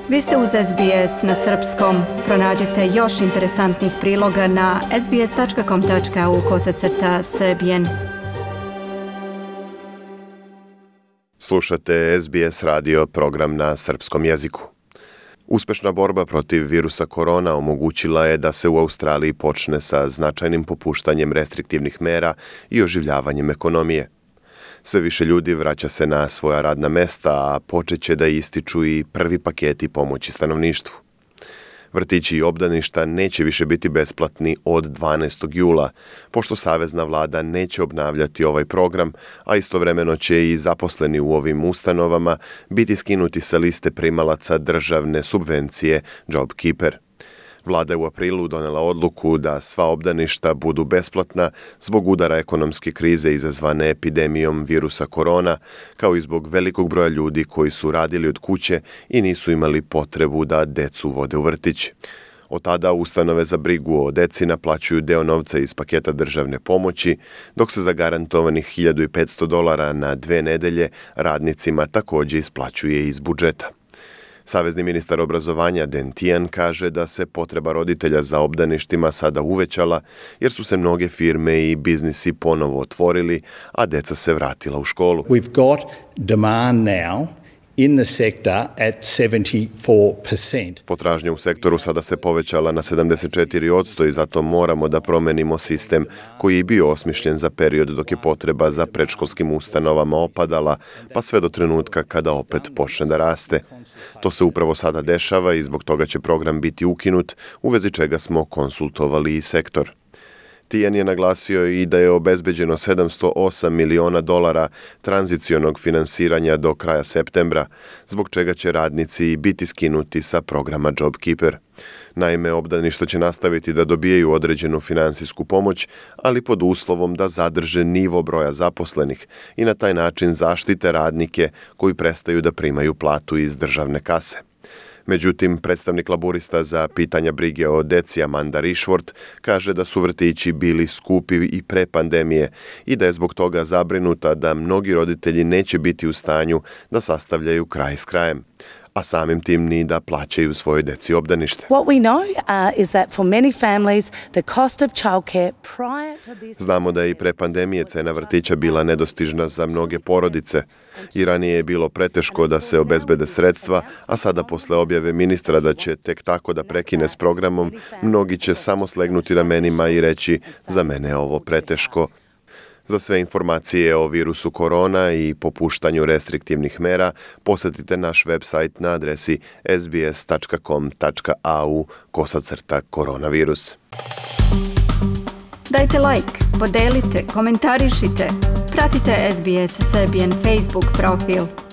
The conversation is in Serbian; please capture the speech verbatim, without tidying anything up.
Vi ste uz S B S na srpskom. Pronađite još interesantnih priloga na sbs.com.au kosacrta srbijen. Slušate S B S radio program na srpskom jeziku. Uspešna borba protiv virusa korona omogućila je da se u Australiji počne sa značajnim popuštanjem restriktivnih mera i oživljavanjem ekonomije. Sve više ljudi vraća se na svoja radna mesta, a počeće da ističu i prvi paketi pomoći stanovništvu. Vrtići i obdaništa neće više biti besplatni od dvanaestog jula, pošto savezna vlada neće obnavljati ovaj program, a istovremeno će i zaposleni u ovim ustanovama biti skinuti sa liste primalaca državne subvencije JobKeeper. Vlada je u aprilu donela odluku da sva obdaništa budu besplatna zbog udara ekonomske krize izazvane epidemijom virusa korona, kao i zbog velikog broja ljudi koji su radili od kuće i nisu imali potrebu da decu vode u vrtić. Od tada ustanove za brigu o deci naplaćuju deo novca iz paketa državne pomoći, dok se za garantovanih hiljadu petsto dolara na dve nedelje radnicima također isplaćuje iz budžeta. Savezni ministar obrazovanja Dan Tehan kaže da se potreba roditelja za obdaništima sada uvećala jer su se mnoge firme i biznisi ponovo otvorili, a deca se vratila u školu. We've got demand now in the sector at seventy-four percent. Potražnja u sektoru sada se povećala na sedamdeset četiri posto i zato moramo da promenimo sistem koji je bio osmišljen za period dok je potreba za predškolskim ustanovama opadala, pa sve do trenutka kada opet počne da raste. To se upravo sada dešava i zbog toga će program biti ukinut, u vezi čega smo konsultovali i sektor. Tehan je naglasio i da je obezbeđeno sedamsto osam miliona dolara tranzicionog finansiranja do kraja septembra, zbog čega će radnici biti skinuti sa programa JobKeeper. Naime, obdaništa će nastaviti da dobijaju određenu finansijsku pomoć, ali pod uslovom da zadrže nivo broja zaposlenih i na taj način zaštite radnike koji prestaju da primaju platu iz državne kase. Međutim, predstavnik laburista za pitanja brige o deci Amanda Rishworth kaže da su vrtići bili skupi i pre pandemije i da je zbog toga zabrinuta da mnogi roditelji neće biti u stanju da sastavljaju kraj s krajem, a samim tim ni da plaćaju svojoj deci obdanište. What we know uh, is that for many families the cost of childcare prior to this. Znamo da je i pre pandemije cena vrtića bila nedostižna za mnoge porodice i ranije je bilo preteško da se obezbede sredstva, a sada posle objave ministra da će tek tako da prekine s programom, mnogi će samo slegnuti ramenima i reći za mene je ovo preteško. Za sve informacije o virusu korona i popuštanju restriktivnih mera posetite naš website na adresi sbs.com.au kosacrta koronavirus. Dajte like, podelite, komentarišite. Pratite S B S Serbian Facebook profil.